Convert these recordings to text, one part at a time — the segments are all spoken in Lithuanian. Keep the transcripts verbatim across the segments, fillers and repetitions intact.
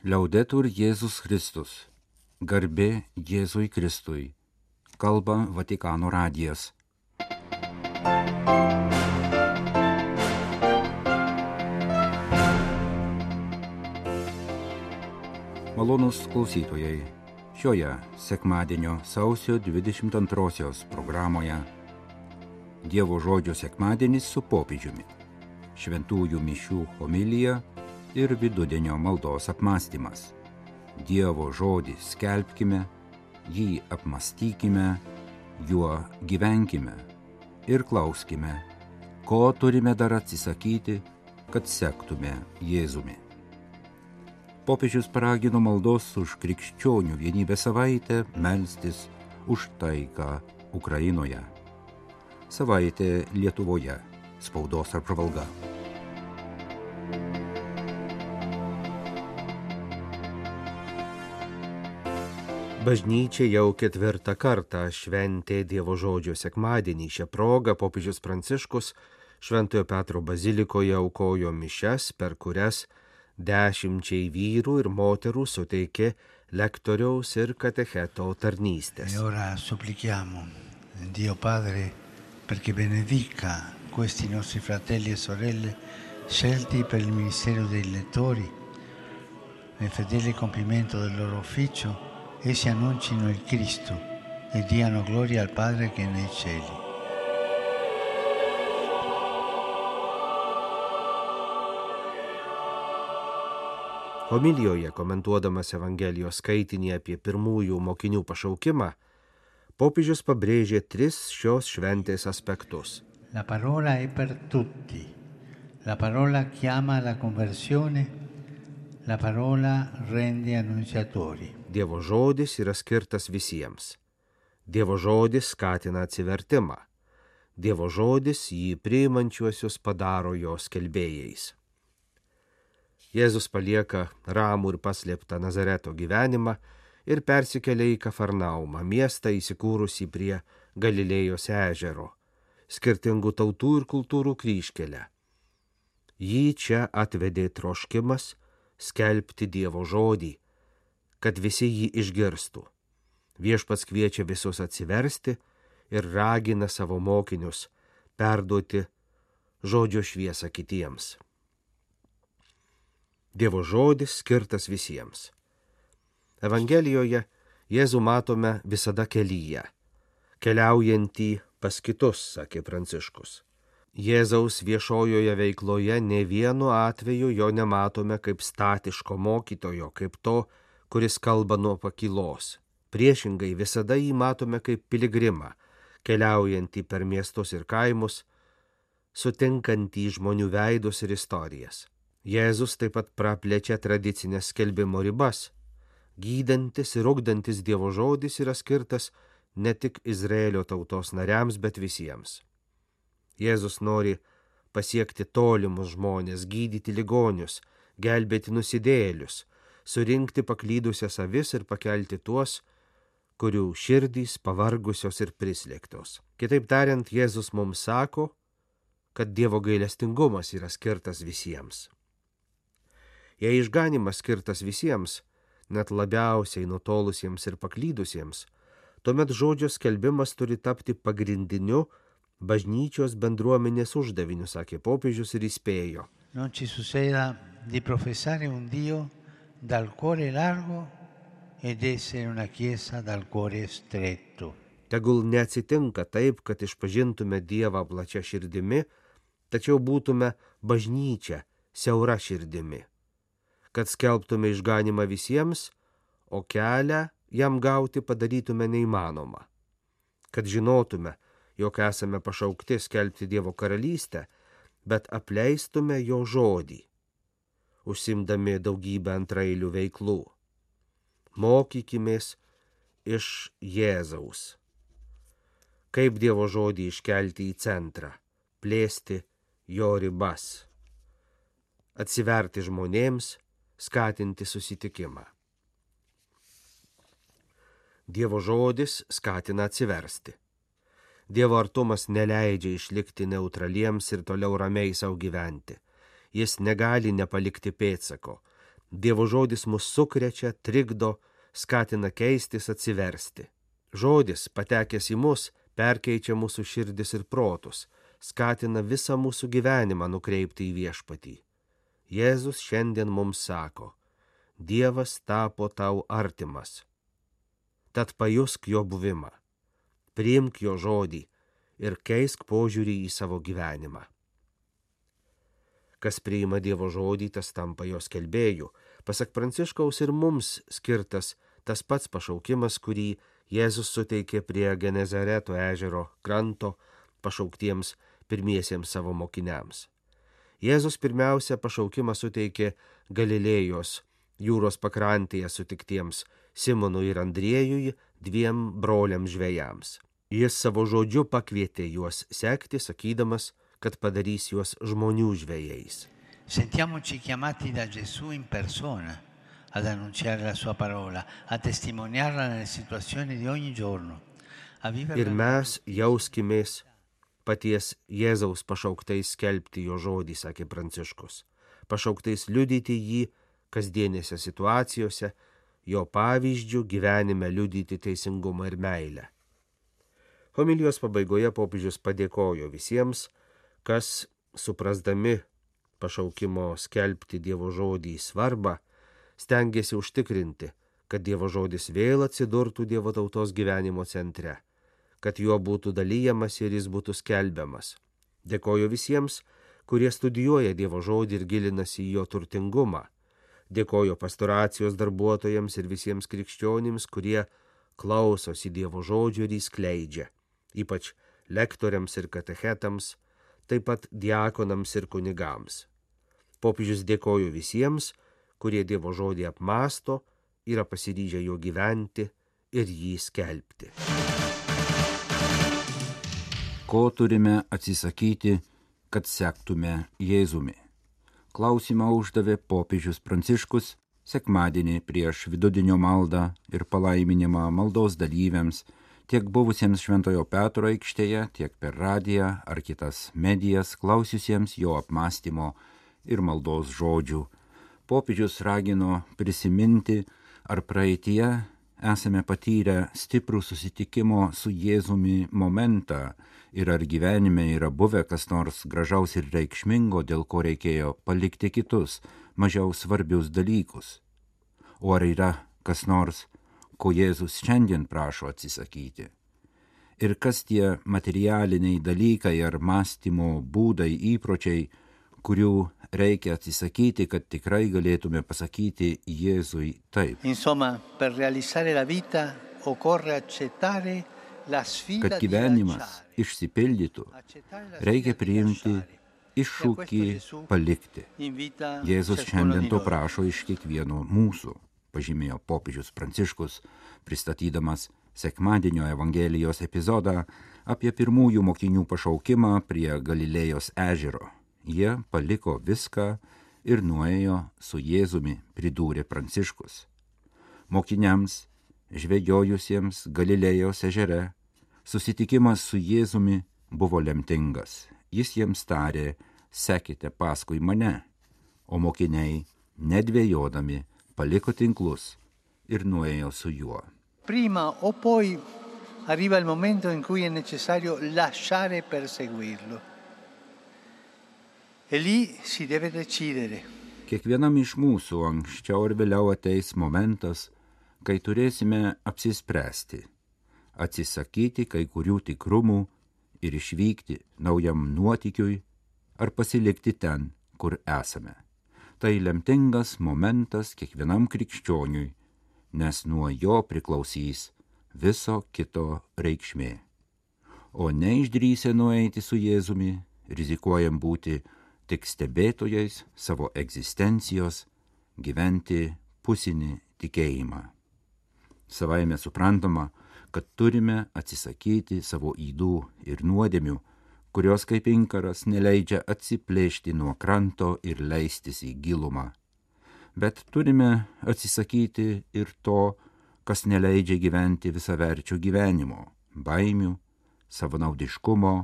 Liaudetur Jėzus Kristus. Garbė Jėzui Kristui. Kalba Vatikano radijas. Malonūs klausytojai, šioje sekmadienio sausio dvidešimt antrosios programoje Dievo žodžio sekmadienis su popiežiumi, šventųjų mišių homilija ir vidudienio maldos apmąstymas. Dievo žodį skelbkime, jį apmąstykime, juo gyvenkime ir klauskime, ko turime dar atsisakyti, kad sektume Jėzumi. Popiežius paragino maldos už krikščionių vienybę savaitę melstis už taiką Ukrainoje. Savaitė Lietuvoje. Spaudos apžvalga. Bažnyčia jau ketvirtą kartą šventė Dievo žodžio sekmadienį. Šią progą popiežius Pranciškus Šventojo Petro bazilikoje aukojo mišias, per kurias dešimčiai vyrų ir moterų suteikė lektoriaus ir katecheto tarnystės. E ora supplichiamo Dio Padre perché benedica questi nostri fratelli e sorelle scelti per il ministero dei lettori. Nel fedele compimento del loro ufficio, essi annuncino il Cristo e diano gloria al Padre che è nei cieli. Homilijoje, komentuodamas Evangelijos skaitinį apie pirmųjų mokinių pašaukimą, popiežius pabrėžė tris šios šventės aspektus. La parola è per tutti. La parola chiama alla conversione. La parola rende annunciatori. Dievo žodis yra skirtas visiems. Dievo žodis skatina atsivertimą. Dievo žodis jį priimančiuosius padaro jo skelbėjais. Jėzus palieka ramų ir paslėptą Nazareto gyvenimą ir persikelia į Kafarnaumą, miestą įsikūrusį prie Galilėjos ežero, skirtingų tautų ir kultūrų kryžkelę. Jį čia atvedė troškimas skelbti Dievo žodį, kad visi jį išgirstų. Viešpats kviečia visus atsiversti ir ragina savo mokinius perduoti žodžio šviesą kitiems. Dievo žodis skirtas visiems. Evangelijoje Jėzų matome visada kelyje, keliaujantį pas kitus, sakė Pranciškus. Jėzaus viešojoje veikloje ne vienu atveju jo nematome kaip statiško mokytojo, kaip to, kuris kalba nuo pakylos. Priešingai visada jį matome kaip piligrimą, keliaujantį per miestus ir kaimus, sutinkantį žmonių veidus ir istorijas. Jėzus taip pat praplečia tradicinės skelbimo ribas. Gydantis ir ugdantis Dievo žodis yra skirtas ne tik Izraelio tautos nariams, bet visiems. Jėzus nori pasiekti tolimus žmonės, gydyti ligonius, gelbėti nusidėjėlius, surinkti paklydusias avis ir pakelti tuos, kurių širdys pavargusios ir prislėgtos. Kitaip tariant, Jėzus mums sako, kad Dievo gailestingumas yra skirtas visiems. Jei išganymas skirtas visiems, net labiausiai nutolusiems ir paklydusiems, tuomet žodžio skelbimas turi tapti pagrindiniu bažnyčios bendruomenės uždaviniu, sakė popiežius ir įspėjo. Non ci succeda di professare un Dio dal cuore largo ed essere una chiesa dal cuore stretto. Tegul neatsitinka taip, kad išpažintume Dievą plačia širdimi, tačiau būtume bažnyčia siaura širdimi, kad skelbtume išganimą visiems, o kelią jam gauti padarytume neįmanoma, kad žinotume, jog esame pašaukti skelbti Dievo karalystę, bet apleistume jo žodį, užsimdami daugybę antraeilių veiklų. Mokykimės iš Jėzaus. Kaip Dievo žodį iškelti į centrą, plėsti jo ribas, atsiverti žmonėms, skatinti susitikimą. Dievo žodis skatina atsiversti. Dievo artumas neleidžia išlikti neutraliems ir toliau ramiai savo gyventi. Jis negali nepalikti pėdsako, Dievo žodis mus sukrečia, trikdo, skatina keistis, atsiversti. Žodis, patekęs į mus, perkeičia mūsų širdis ir protus, skatina visą mūsų gyvenimą nukreipti į viešpatį. Jėzus šiandien mums sako, Dievas tapo tau artimas. Tad pajusk jo buvimą, priimk jo žodį ir keisk požiūrį į savo gyvenimą. Kas priima Dievo žodį, tas tampa jo skelbėju. Pasak Pranciškaus ir mums skirtas tas pats pašaukimas, kurį Jėzus suteikė prie Genezareto ežero kranto pašauktiems pirmiesiems savo mokiniams. Jėzus pirmiausia pašaukimą suteikė Galilėjos jūros pakrantėje sutiktiems Simonui ir Andriejui, dviem broliams žvejams. Jis savo žodžiu pakvietė juos sekti, sakydamas, kad padarys juos žmonių žvejais. Sentiamoci chiamati da Gesù in persona ad annunciare la sua parola, a testimoniarla nelle situazioni di ogni giorno. Ir mes jauskimės paties Jėzaus pašauktais skelbti jo žodį, sakė Pranciškus, pašauktais liudyti jį kasdienėse situacijose, jo pavyzdžių gyvenime liudyti teisingumą ir meilę. Homilijos pabaigoje popiežius padėkojo visiems, kas, suprasdami pašaukimo skelbti Dievo žodį svarbą, stengiasi užtikrinti, kad Dievo žodis vėl atsidurtų Dievo tautos gyvenimo centre, kad juo būtų dalyjamas ir jis būtų skelbiamas. Dėkoju visiems, kurie studijuoja Dievo žodį ir gilinasi į jo turtingumą. Dėkoju pastoracijos darbuotojams ir visiems krikščionims, kurie klausosi Dievo žodžio ir jį skleidžia, ypač lektoriams ir katechetams, taip pat diakonams ir kunigams. Popiežius dėkoju visiems, kurie Dievo žodį apmąsto, yra pasiryžę jo gyventi ir jį skelbti. Ko turime atsisakyti, kad sektume Jėzumi? Klausimą uždavė popiežius Pranciškus sekmadienį prieš vidudienio maldą ir palaiminimą maldos dalyviams, tiek buvusiems Šventojo Petro aikštėje, tiek per radiją ar kitas medijas klausiusiems jo apmąstymo ir maldos žodžių. Popiežius ragino prisiminti, ar praeitie esame patyrę stiprų susitikimo su Jėzumi momentą ir ar gyvenime yra buvę kas nors gražaus ir reikšmingo, dėl ko reikėjo palikti kitus, mažiau svarbius dalykus. O ar yra kas nors, ko Jėzus šiandien prašo atsisakyti? Ir kas tie materialiniai dalykai ar mąstymo būdai, įpročiai, kurių reikia atsisakyti, kad tikrai galėtume pasakyti Jėzui taip. Insomma, per realizzare la vita occorre accettare la sfida. Kad gyvenimas išsipildytų, reikia priimti iššūkį palikti. Jėzus šiandien to prašo iš kiekvieno mūsų, pažymėjo popiežius Pranciškus, pristatydamas sekmadienio Evangelijos epizodą apie pirmųjų mokinių pašaukimą prie Galilėjos ežero. Jie paliko viską ir nuėjo su Jėzumi, pridūrė Pranciškus. Mokiniams, žvejojusiems Galilėjos ežere, susitikimas su Jėzumi buvo lemtingas. Jis jiems tarė, sekite paskui mane, o mokiniai, nedvejodami, paliko tinklus ir nuėjo su juo. Prima o poi arriva il momento in cui è necessario lasciare per seguirlo. E lì si deve decidere. Kiekvienam iš mūsų anksčiau ir vėliau ateis momentas, kai turėsime apsispręsti, atsisakyti kai kurių tikrumų ir išvykti naujam nuotykiui ar pasilikti ten, kur esame. Tai lemtingas momentas kiekvienam krikščioniui, nes nuo jo priklausys viso kito reikšmė. O neišdrįsę nueiti su Jėzumi, rizikuojam būti tik stebėtojais savo egzistencijos, gyventi pusinį tikėjimą. Savaime suprantama, kad turime atsisakyti savo ydų ir nuodėmių, kurios kaip inkaras neleidžia atsiplėšti nuo kranto ir leistis į gilumą. Bet turime atsisakyti ir to, kas neleidžia gyventi visaverčio gyvenimo, baimių, savanaudiškumo,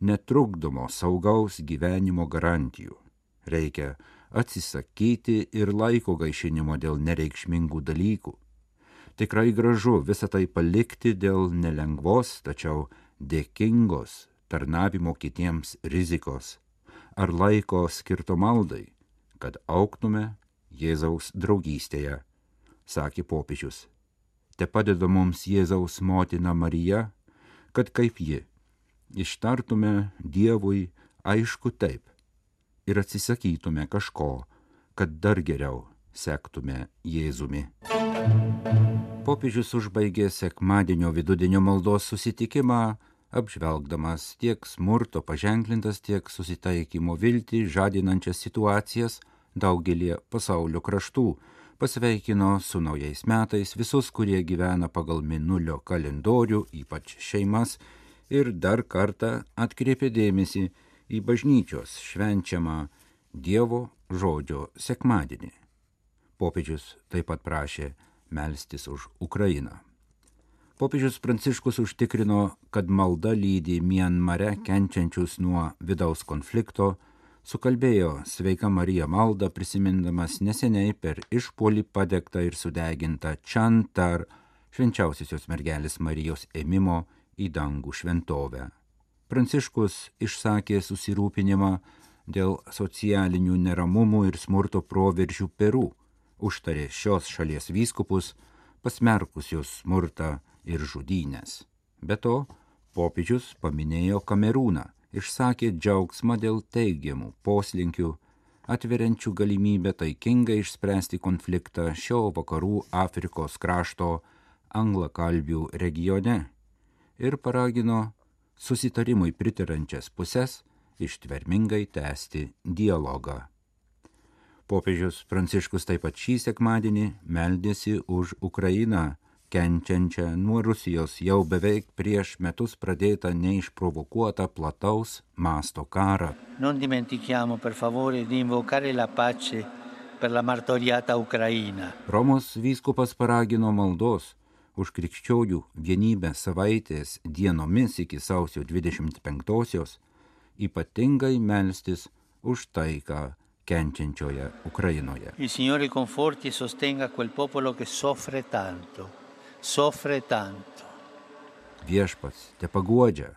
netrukdomo saugaus gyvenimo garantijų. Reikia atsisakyti ir laiko gaišinimo dėl nereikšmingų dalykų. Tikrai gražu visą tai palikti dėl nelengvos, tačiau dėkingos tarnavimo kitiems rizikos ar laiko skirto maldai, kad augtume Jėzaus draugystėje, sakė popiežius. Te padeda mums Jėzaus motina Marija, kad kaip ji ištartume Dievui aišku taip ir atsisakytume kažko, kad dar geriau sektume Jėzumi. Popiežius užbaigė sekmadienio vidudienio maldos susitikimą, apžvelgdamas tiek smurto paženklintas, tiek susitaikymo viltį žadinančias situacijas daugelį pasaulio kraštų, pasveikino su naujais metais visus, kurie gyvena pagal mėnulio kalendorių, ypač šeimas, ir dar kartą atkreipė dėmesį į bažnyčios švenčiamą Dievo žodžio sekmadienį. Popiežius taip pat prašė melstis už Ukrainą. Popiežius Pranciškus užtikrino, kad malda lydi Mianmare kenčiančius nuo vidaus konflikto, sukalbėjo Sveika Marija maldą, prisimindamas neseniai per išpuolį padegtą ir sudegintą Čantar švenčiausiosios mergelės Marijos ėmimo į dangų šventovę. Pranciškus išsakė susirūpinimą dėl socialinių neramumų ir smurto proveržių Peru, užtarė šios šalies vyskupus, pasmerkusius smurtą ir žudynės. Be to, popiežius paminėjo Kamerūną, išsakė džiaugsmą dėl teigiamų poslinkių, atveriančių galimybę taikingai išspręsti konfliktą šio vakarų Afrikos krašto anglakalbių regione ir paragino susitarimui pritarančias pusės ištvermingai tęsti dialogą. Popiežius Pranciškus taip pat šį sekmadienį meldėsi už Ukrainą, kenčiančią nuo Rusijos jau beveik prieš metus pradėtą neišprovokuotą plataus masto karą. Non dimentichiamo per favore di invocare la pace per la martoriata Ukraina. Romos vyskupas paragino maldos už krikščionių vienybę savaitės dienomis iki sausio dvidešimt penktosios, ypatingai melstis už taiką kenčiančioje Ukrainoje. Il Signore conforti e sostenga quel popolo che soffre tanto, soffre tanto. Viešpats te paguodžia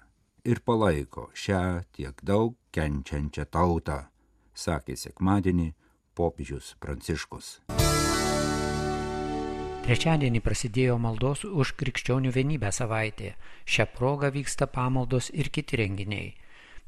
ir palaiko šią tiek daug kenčiančią tautą, sakė sekmadienį popiežius Pranciškus. Trečiadienį prasidėjo maldos už krikščionių vienybę savaitė. Šią progą vyksta pamaldos ir kiti renginiai.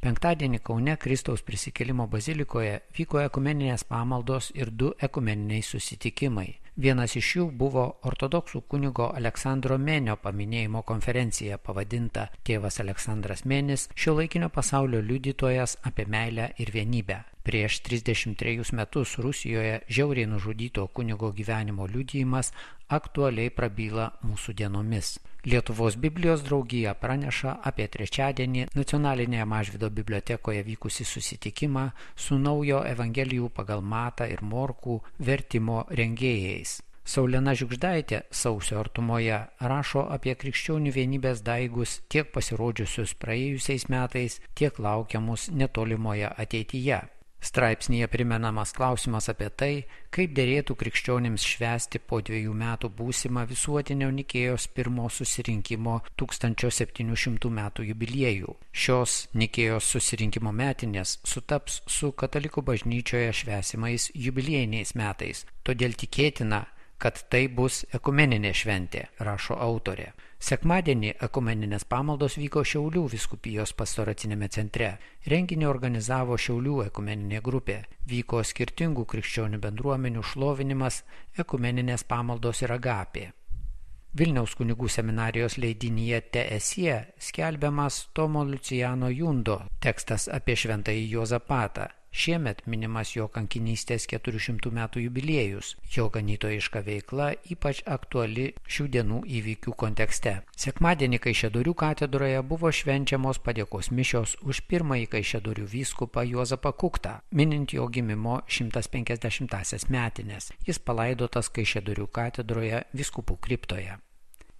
Penktadienį Kaune Kristaus prisikėlimo bazilikoje vyko ekumeninės pamaldos ir du ekumeniniai susitikimai. Vienas iš jų buvo ortodoksų kunigo Aleksandro Menio paminėjimo konferencija pavadinta Tėvas Aleksandras Menis – šiuolaikinio pasaulio liudytojas apie meilę ir vienybę. Prieš trisdešimt trejus metus Rusijoje žiauriai nužudyto kunigo gyvenimo liudijimas aktualiai prabyla mūsų dienomis. Lietuvos Biblijos draugija praneša apie trečiadienį Nacionalinėje Mažvydo bibliotekoje vykusį susitikimą su naujo Evangelijų pagal Matą ir Morkų vertimo rengėjais. Saulena Žiugždaitė sausio artumoje rašo apie krikščionių vienybės daigus tiek pasirodžiusius praėjusiais metais, tiek laukiamus netolimoje ateityje. Straipsnyje primenamas klausimas apie tai, kaip derėtų krikščionims švęsti po dviejų metų būsimą visuotinio Nikėjos pirmo susirinkimo tūkstančio septynių šimtų metų jubiliejų. Šios Nikėjos susirinkimo metinės sutaps su katalikų bažnyčioje švęsimais jubiliejiniais metais, todėl tikėtina, kad tai bus ekumeninė šventė, rašo autorė. Sekmadienį ekumeninės pamaldos vyko Šiaulių vyskupijos pastoracinėme centre. Renginį organizavo Šiaulių ekumeninė grupė. Vyko skirtingų krikščionių bendruomenių šlovinimas, ekumeninės pamaldos ir agapė. Vilniaus kunigų seminarijos leidinyje Teesie skelbiamas Tomo Lucijano Jundo tekstas apie šventąjį Juozapatą. Šiemet minimas jo kankinystės keturių šimtų metų jubiliejus. Jo ganytojiška veikla ypač aktuali šių dienų įvykių kontekste. Sekmadienį Kaišiadorių katedroje buvo švenčiamos padėkos mišios už pirmąjį Kaišiadorių vyskupą Juozapą Kuktą, minint jo gimimo šimtas penkiasdešimtąsias metines. Jis palaidotas Kaišiadorių katedroje vyskupų kriptoje.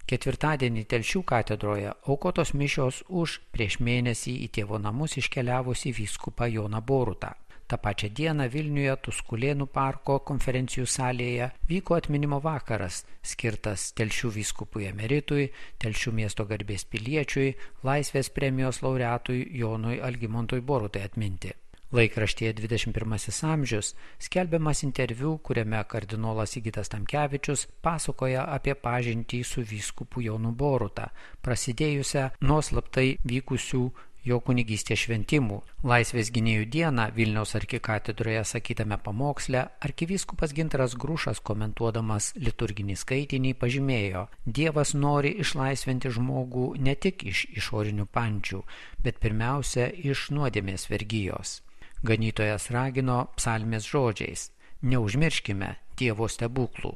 Ketvirtadienį Telšių katedroje aukotos mišios už prieš mėnesį į tėvo namus iškeliavusi vyskupą Joną Borutą. Ta pačia diena Vilniuje Tuskulėnų parko konferencijų salėje vyko atminimo vakaras, skirtas Telšių vyskupui emeritui, Telšių miesto garbės piliečiui, Laisvės premijos laureatui Jonui Algimantui Borutai atminti. Laikraštyje dvidešimt pirmasis amžius skelbiamas interviu, kuriame kardinolas Sigitas Tamkevičius pasakoja apie pažintį su vyskupu Jonu Boruta, prasidėjusią nuo slaptai vykusių jo kunigystės šventimų. Laisvės gynėjų dieną Vilniaus arkikatedroje sakytame pamoksle arkivyskupas Gintaras Grušas, komentuodamas liturginį skaitinį, pažymėjo: Dievas nori išlaisvinti žmogų ne tik iš išorinių pančių, bet pirmiausia iš nuodėmės vergijos. Ganytojas ragino psalmės žodžiais: neužmirškime Dievo stebuklų.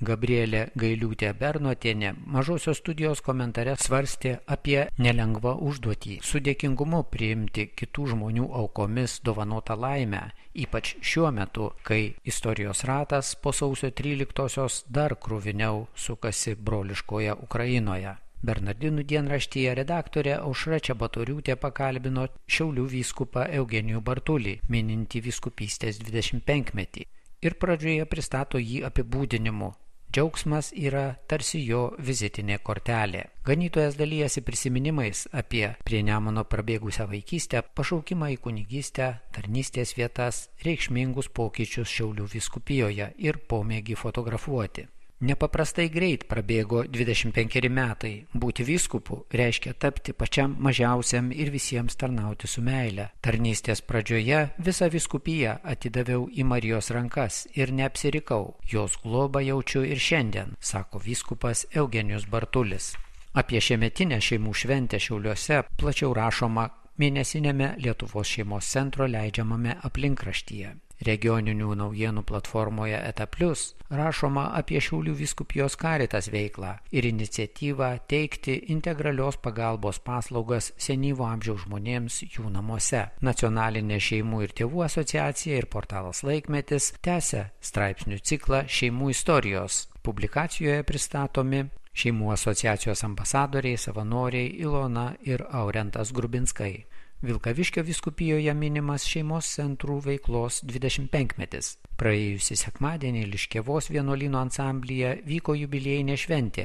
Gabrielė Gailiūtė Bernotienė Mažosios studijos komentare svarstė apie nelengvą užduotį su dėkingumu priimti kitų žmonių aukomis dovanotą laimę, ypač šiuo metu, kai istorijos ratas po sausio tryliktosios dar kruviniau sukasi broliškoje Ukrainoje. Bernardinų dienraštyje redaktorė Aušra Čebatoriūtė pakalbino Šiaulių vyskupą Eugenijų Bartulį, minintį vyskupystės dvidešimt penkmetį, ir pradžioje pristato jį apibūdinimu: džiaugsmas yra tarsi jo vizitinė kortelė. Ganytojas dalijasi prisiminimais apie prie Nemuno prabėgusią vaikystę, pašaukimą į kunigystę, tarnystės vietas, reikšmingus pokyčius Šiaulių vyskupijoje ir pomėgį fotografuoti. Nepaprastai greit prabėgo dvidešimt penkeri metai. Būti vyskupu reiškia tapti pačiam mažiausiam ir visiems tarnauti su meile. Tarnystės pradžioje visą vyskupiją atidaviau į Marijos rankas ir neapsirikau. Jos globą jaučiu ir šiandien, sako vyskupas Eugenijus Bartulis. Apie šiemetinę šeimų šventę Šiauliuose plačiau rašoma mėnesinėme Lietuvos šeimos centro leidžiamame aplinkraštyje. Regioninių naujienų platformoje Eta Plius rašoma apie Šiaulių vyskupijos Caritas veiklą ir iniciatyvą teikti integralios pagalbos paslaugas senyvo amžiaus žmonėms jų namuose. Nacionalinė šeimų ir tėvų asociacija ir portalas Laikmetis tęsia straipsnių ciklą Šeimų istorijos. Publikacijoje pristatomi šeimų asociacijos ambasadoriai, savanoriai Ilona ir Aurentas Grubinskai. Vilkaviškio vyskupijoje minimas šeimos centrų veiklos dvidešimt penkmetis. Praėjusį sekmadienį Liškiavos vienuolyno ansamblyje vyko jubiliejinė šventė,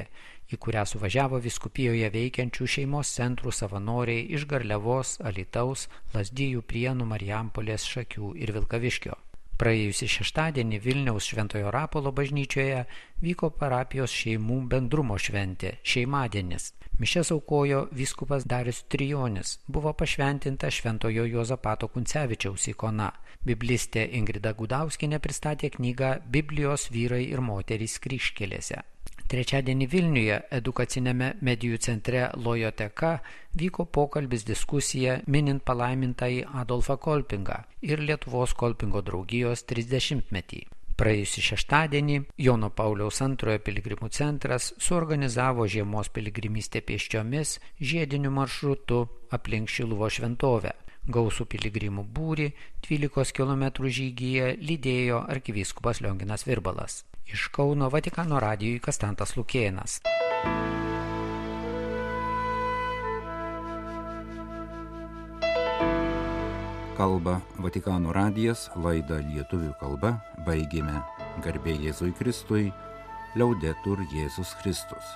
į kurią suvažiavo vyskupijoje veikiančių šeimos centrų savanoriai iš Garliavos, Alytaus, Lazdijų, Prienų, Marijampolės, Šakių ir Vilkaviškio. Praėjusį šeštadienį Vilniaus Šventojo Rapolo bažnyčioje vyko parapijos šeimų bendrumo šventė – Šeimadienis. Mišias aukojo vyskupas Darius Trijonis, buvo pašventinta Šventojo Juozapato Kuncevičiaus ikona. Biblistė Ingrida Gudauskienė pristatė knygą Biblijos vyrai ir moterys kryžkelėse. Trečiadienį Vilniuje edukacinėme medijų centre Lojoteka vyko pokalbis diskusija minint palaimintąjį Adolfą Kolpingą ir Lietuvos Kolpingo draugijos trisdešimtmetį. Praėjusį šeštadienį Jono Pauliaus antrojo piligrimų centras suorganizavo žiemos piligrimystę pėsčiomis žiediniu maršrutu aplink Šiluvos šventovę. Gausų piligrimų būrį dvylikos kilometrų žygyje lydėjo arkivyskupas Lionginas Virbalas. Iš Kauno Vatikano radijui Kastantas Lukėnas. Kalba Vatikano radijas, laidą lietuvių kalba baigėme. Garbė Jėzui Kristui, Liaudetur Jėzus Kristus.